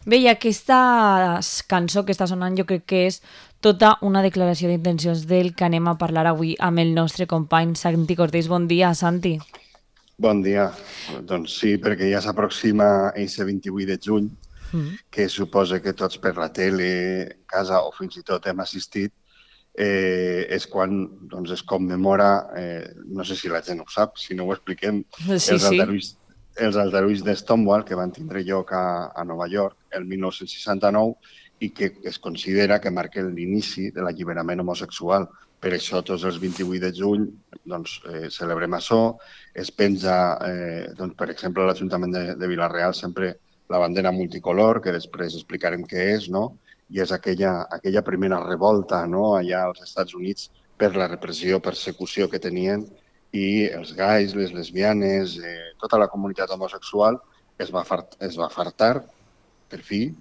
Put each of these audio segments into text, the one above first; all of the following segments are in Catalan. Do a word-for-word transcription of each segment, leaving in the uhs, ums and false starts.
Bé, i aquesta cançó que està sonant jo crec que és tota una declaració d'intencions del que anem a parlar avui amb el nostre company Santi Cortés. Bon dia, Santi. Bon dia. Doncs sí, perquè ja s'aproxima aquest vint-i-vuit de juny, Mm. que suposa que tots per la tele, en casa o fins i tot hem assistit, eh, és quan doncs, es commemora, eh, no sé si la gent ho sap, si no ho expliquem, Sí, els sí. aldarulls, els aldarulls de Stonewall que van tindre lloc a, a Nova York el mil nou-cents seixanta-nou i que es considera que marca l'inici de l'alliberament homosexual. Per això tots els vint-i-vuit de juny doncs, eh, celebrem això, es penja, eh, doncs, per exemple, a l'Ajuntament de, de Vila-real sempre la bandera multicolor, que després explicarem què és, no? I és aquella, aquella primera revolta, no?, allà als Estats Units per la repressió, persecució que tenien, i els gais, les lesbianes, eh, tota la comunitat homosexual es va, fart, es va fartar, per fi,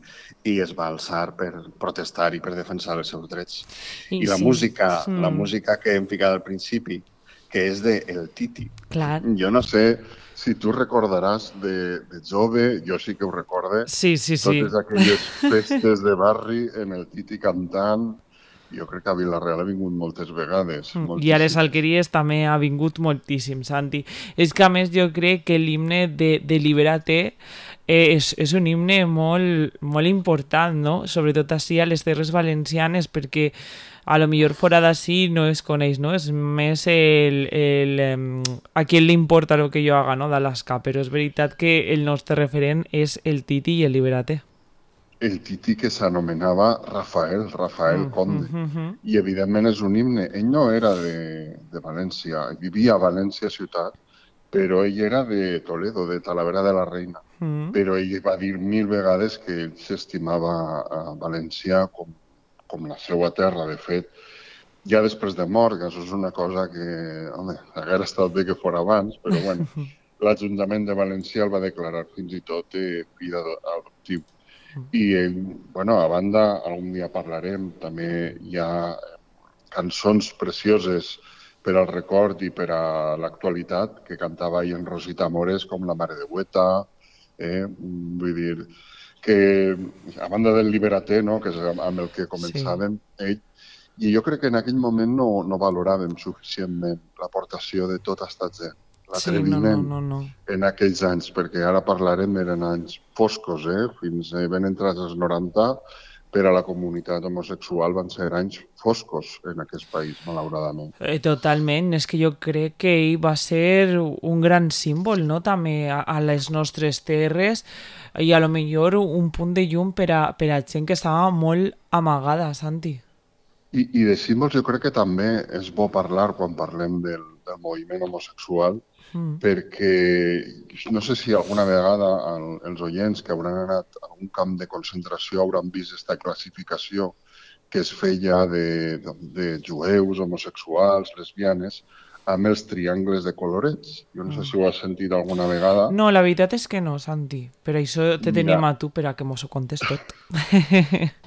i es va alçar per protestar i per defensar els seus drets. I I la sí. música, la Mm. música que hem ficat al principi, que és de El Titi. Clar. Jo no sé si tu recordaràs de, de jove, jo sí que ho recorde, Sí, sí, sí. totes aquelles festes de barri en El Titi cantant. Jo crec que a Vila-real ha vingut moltes vegades, Mm. I a les moltíssimes. alqueries també ha vingut moltíssim, Santi. És que a més jo crec que l'himne de, de Libérate eh, és, és un himne molt, molt important, no? Sobretot així a les Terres Valencianes, perquè a lo millor fora d'ací no es coneix, no? És més el, el, em, a qui li importa el que jo haga, no? d'Alaska, però és veritat que el nostre referent és el Titi i el Libérate. El Titi que s'anomenava Rafael, Rafael Mm, mm, Conde. mm, mm. I evidentment és un himne. Ell no era de, de València, vivia a València ciutat, però ell era de Toledo, de Talavera de la Reina. Mm. Però ell va dir mil vegades que ell s'estimava a València com, com la seva terra. De fet, ja després de mort, que això és una cosa que, home, haguera estat bé que fos abans, però bueno, l'Ajuntament de València el va declarar fins i tot eh, fill adoptiu. I, eh, bueno, a banda, algun dia parlarem, també hi ha cançons precioses per al record i per a l'actualitat que cantava ahir en Rosita Mores, com La Mare de Hueta, eh? Vull dir que, a banda del Liberaté, no?, que és amb el que Sí. començàvem, ell, i jo crec que en aquell moment no, no valoràvem suficientment l'aportació de tota aquesta gent, Sí, no, no, l'atreviment no, no. en aquells anys, perquè ara parlarem, eren anys foscos, eh? Fins eh, ben entrats als noranta, per a la comunitat homosexual van ser anys foscos en aquest país, malauradament. Eh, totalment, és que jo crec que ell va ser un gran símbol, no?, també a, a les nostres terres i a lo millor un punt de llum per a, per a gent que estava molt amagada, Santi. I, I de símbols jo crec que també és bo parlar quan parlem del, del moviment homosexual, Mm. perquè no sé si alguna vegada el, els oients que hauran anat a un camp de concentració hauran vist aquesta classificació que es feia de, de, de jueus, homosexuals, lesbianes, amb els triangles de colorets. Jo no sé si ho has sentit alguna vegada. No, la veritat és que no, Santi. Per això te Mira, tenim a tu per a que mos ho contes tot.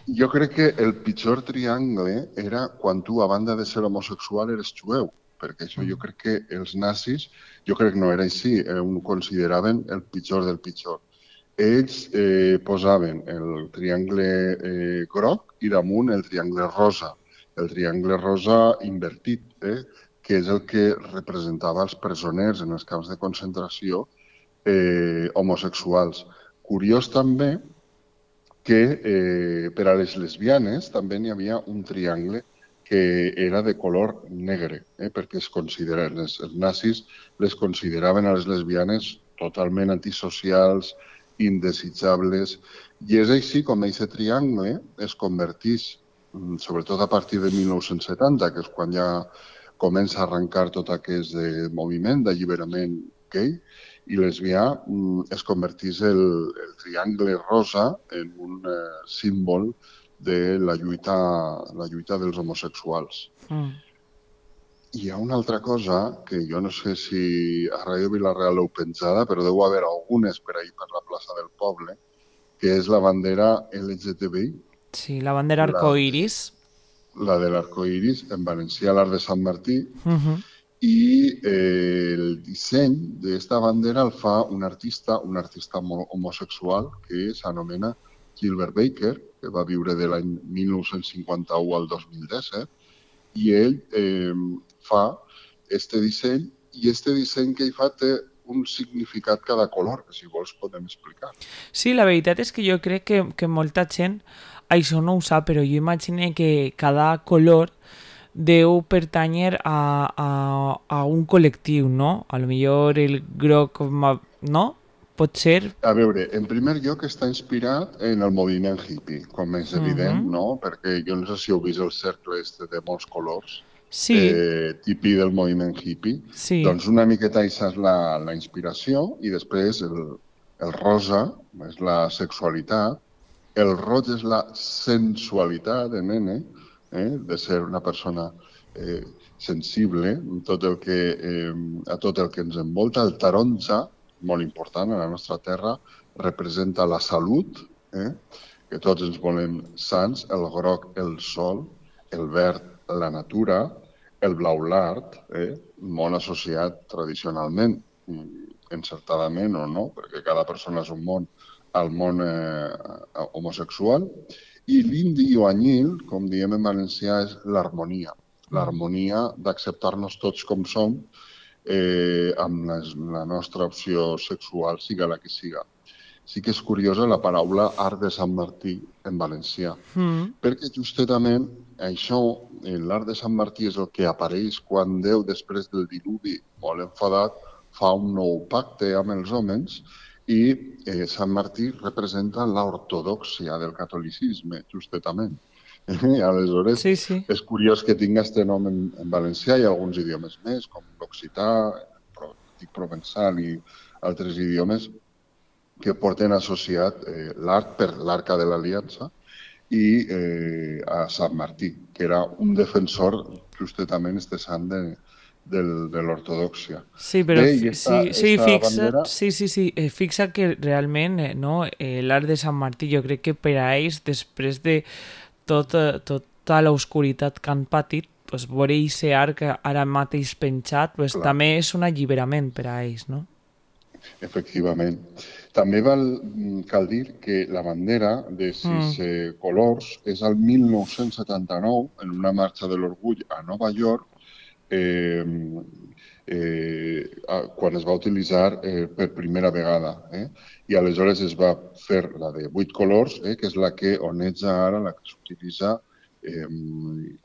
jo crec que el pitjor triangle era quan tu, a banda de ser homosexual, eres jueu, perquè això jo crec que els nazis, jo crec que no era així, eh, ho consideraven el pitjor del pitjor. Ells eh, posaven el triangle eh, groc i damunt el triangle rosa, el triangle rosa invertit, eh, que és el que representava els presoners en els camps de concentració eh, homosexuals. Curiós també que eh, per a les lesbianes també n'hi havia un triangle que era de color negre, eh, perquè es consideren, els, els nazis les consideraven a les lesbianes totalment antisocials, indesitjables, i és així com aquest triangle es converteix, mm, sobretot a partir de mil nou-cents setanta, que és quan ja comença a arrencar tot aquest eh, moviment d'alliberament gay, i lesbià, mm, es convertís el, el triangle rosa en un eh, símbol de la lluita, la lluita dels homosexuals. Mm. Hi ha una altra cosa que jo no sé si a Ràdio Vila-real l'heu penjada, però deu haver algunes per ahir per la plaça del poble, que és la bandera L G T B I, Sí, la bandera la, arcoiris. la de l'arcoiris, en valencià l'Arc de Sant Martí, Uh -huh. i eh, el disseny d'esta bandera el fa un artista, un artista homosexual que s'anomena Gilbert Baker, que va viure de l'any mil nou-cents cinquanta-u al dos mil disset, i ell eh, fa este disseny, i este disseny que ell fa té un significat cada color, que si vols podem explicar. Sí, la veritat és que jo crec que, que molta gent això no ho sap, però jo imagino que cada color deu pertanyer a, a, a un col·lectiu, no? A lo millor el groc, no? Pot ser? A veure, en primer lloc està inspirat en el moviment hippie, com és evident, uh -huh. no? Perquè jo no sé si heu vist el cercle este de molts colors, sí. eh, típic del moviment hippie. Sí. Doncs una miqueta això és la, la inspiració, i després el, el rosa és la sexualitat, el roig és la sensualitat de nene, eh? De ser una persona eh, sensible tot el que, eh, a tot el que ens envolta. El taronja, molt important a la nostra terra, representa la salut, eh? Que tots ens volem sants, el groc, el sol, el verd, la natura, el blau, l'art, eh? Molt associat tradicionalment, encertadament o no, perquè cada persona és un món, al món eh, homosexual, i l'indi o anyil, com diem en valencià, és l'harmonia. L'harmonia d'acceptar-nos tots com som, eh, amb les, la nostra opció sexual, siga la que siga. Sí que és curiosa la paraula art de Sant Martí en valencià, mm. perquè justament això, l'art de Sant Martí, és el que apareix quan Déu, després del diluvi, molt enfadat, fa un nou pacte amb els homes, i eh, Sant Martí representa l'ortodòxia del catolicisme, justament. I aleshores, sí, sí. És curiós que tinga aquest nom en, en valencià i alguns idiomes més, com l'occità, el provençal i altres idiomes que porten associat eh, l'art per l'Arca de l'Aliança i eh, a Sant Martí, que era un defensor, justament, este sant de, de, de l'ortodòxia. Sí, però Bé, esta, sí, sí, fixa, bandera... sí, sí, sí, eh, fixa que realment eh, no, eh, l'art de Sant Martí, jo crec que per a ells, després de tot, tota l'oscuritat que han patit, pues, veure aquest art que ara mateix penjat, pues, també és un alliberament per a ells, no? Efectivament. També val, cal dir que la bandera de sis mm. eh, colors és el mil nou-cents setanta-nou, en una marxa de l'orgull a Nova York, eh, eh, quan es va utilitzar eh, per primera vegada. Eh? I aleshores es va fer la de vuit colors, eh, que és la que oneja ara, la que s'utilitza eh,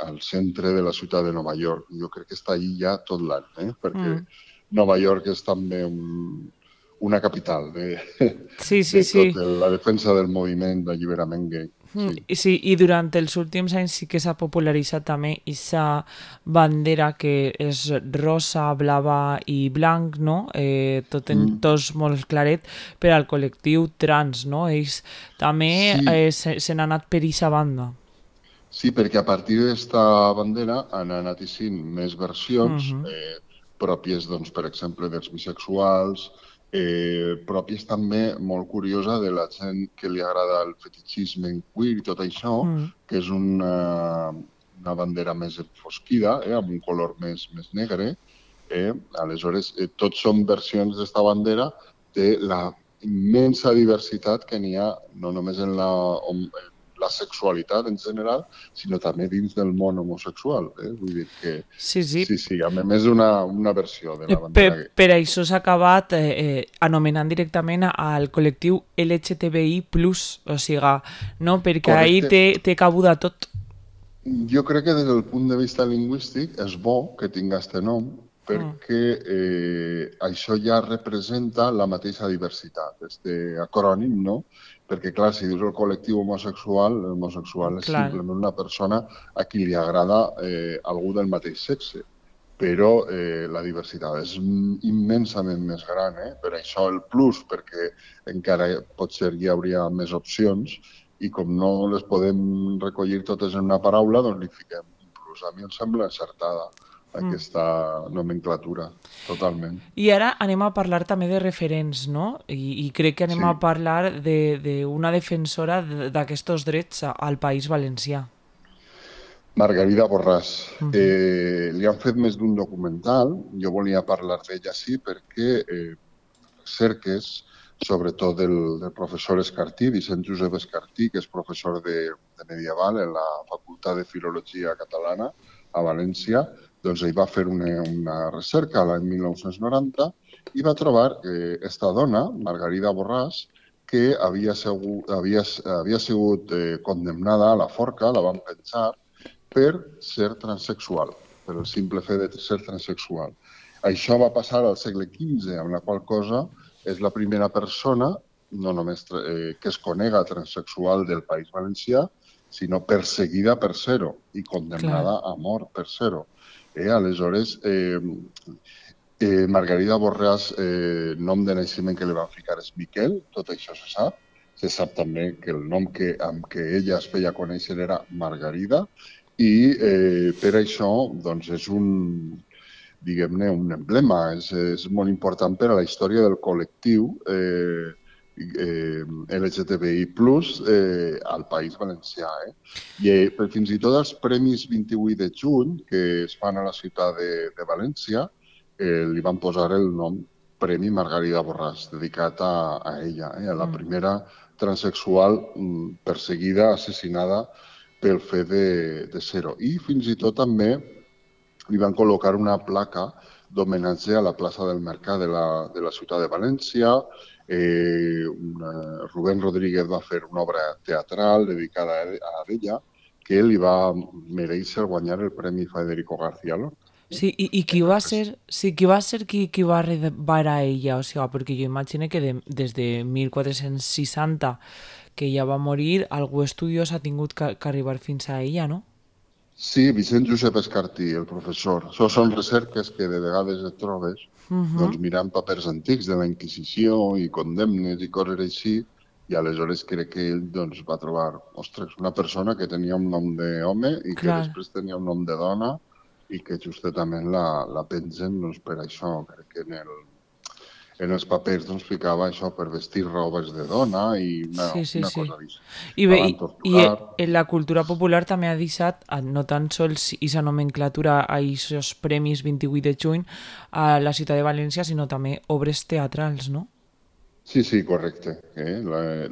al centre de la ciutat de Nova York. Jo crec que està allí ja tot l'any, eh? perquè mm. Nova York és també un, una capital de, sí, sí, de sí. tot la defensa del moviment d'alliberament gay. Sí. sí, i durant els últims anys sí que s'ha popularitzat també aquesta bandera que és rosa, blava i blanc, no? Eh, tot en mm. tos molt claret per al col·lectiu trans, no? Ells també sí. eh, se, se n'han anat per aquesta banda. Sí, perquè a partir d'esta bandera han anat eixint més versions mm -hmm. eh, pròpies, doncs, per exemple, dels bisexuals, Eh, pròpies també, molt curiosa, de la gent que li agrada el fetichisme en queer i tot això, mm. que és una, una bandera més enfosquida, eh, amb un color més, més negre. Eh? Aleshores, eh, tots són versions d'esta bandera de la immensa diversitat que n'hi ha, no només en la, en la sexualitat en general, sinó també dins del món homosexual. Eh? Vull dir que sí, sí. sí, sí, a més una, una versió de la bandera. Per, per això s'ha acabat eh, eh, anomenant directament al col·lectiu L G T B I plus, o sigui, no? Perquè ahí té, té cabuda tot. Jo crec que des del punt de vista lingüístic és bo que tingui aquest nom, perquè eh, això ja representa la mateixa diversitat, este acrònim, no? Perquè, clar, si dius el col·lectiu homosexual, l'homosexual és clar. Simplement una persona a qui li agrada eh, algú del mateix sexe. Però eh, la diversitat és immensament més gran, eh? Per això el plus, perquè encara potser hi hauria més opcions i com no les podem recollir totes en una paraula, doncs li fiquem un plus. A mi em sembla encertada aquesta nomenclatura, totalment. I ara anem a parlar també de referents, no? I, i crec que anem sí. a parlar d'una de, de defensora d'aquests drets al País Valencià. Margarida Borràs. Uh -huh. eh, li han fet més d'un documental. Jo volia parlar d'ella, sí, perquè eh, Cerques sobretot del, del professor Escartí, Vicent Josep Escartí, que és professor de, de medieval en la Facultat de Filologia Catalana a València. Doncs ell va fer una, una recerca l'any mil nou-cents noranta i va trobar que esta dona, Margarida Borràs, que havia sigut, havia, havia sigut eh, condemnada a la forca, la van penjar, per ser transexual, per el simple fet de ser transexual. Això va passar al segle quinze, amb la qual cosa és la primera persona, no només eh, que es conega transexual del País Valencià, sinó perseguida per ser-ho i condemnada Clar. a mort per ser-ho. Eh, aleshores, eh, eh, Margarida Borràs, eh, nom de naixement que li van ficar és Miquel, tot això se sap. Se sap també que el nom que, amb què ella es feia conèixer era Margarida i eh, per això doncs, és un, diguem-ne, un emblema, és, és molt important per a la història del col·lectiu eh, eh, L G T B I plus, eh, al País Valencià. Eh? I eh, fins i tot els Premis vint-i-vuit de juny, que es fan a la ciutat de, de València, eh, li van posar el nom Premi Margarida Borràs, dedicat a, a ella, eh? a la primera transexual perseguida, assassinada pel fet de, de ser-ho. I fins i tot també li van col·locar una placa d'homenatge a la plaça del Mercat de la, de la ciutat de València. Eh, una, Rubén Rodríguez va fer una obra teatral dedicada a ella que li va mereixer guanyar el Premi Federico García Lorca. Sí, i, i qui va ser, sí, qui va ser qui, qui va rebar a ella? O sigui, perquè jo imagino que de, des de mil quatre-cents seixanta que ella va morir, algú estudiós ha tingut que, que arribar fins a ella, no? Sí, Vicent Josep Escartí, el professor. Això són recerques que de vegades et trobes uh -huh. doncs, mirant papers antics de la Inquisició i condemnes i coses així, i aleshores crec que ell doncs, va trobar, ostres, una persona que tenia un nom d'home i que Clar. després tenia un nom de dona i que justament la, la pengen doncs, per això. Crec que en, el, en els papers doncs, ficava això per vestir robes de dona i una, sí, sí, una sí. cosa així. I, bé, i, i en la cultura popular també ha deixat, no tan sols aquesta nomenclatura a aquests premis vint-i-vuit de juny a la ciutat de València, sinó també obres teatrals, no? Sí, sí, correcte. Eh?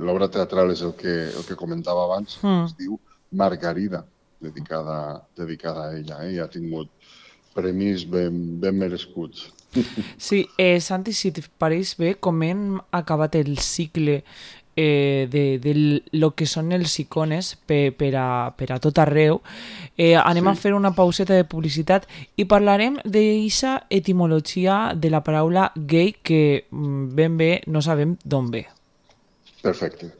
L'obra teatral és el que, el que comentava abans, mm. es diu Margarida, dedicada, dedicada a ella, eh? I ha tingut premis ben, ben merescuts. Sí, eh, Santi, si et pareix bé, com hem acabat el cicle eh, de, de lo que són els icones per, per, a, per a tot arreu, eh, anem sí. a fer una pauseta de publicitat i parlarem d'aquesta etimologia de la paraula gay que ben bé no sabem d'on ve. Perfecte.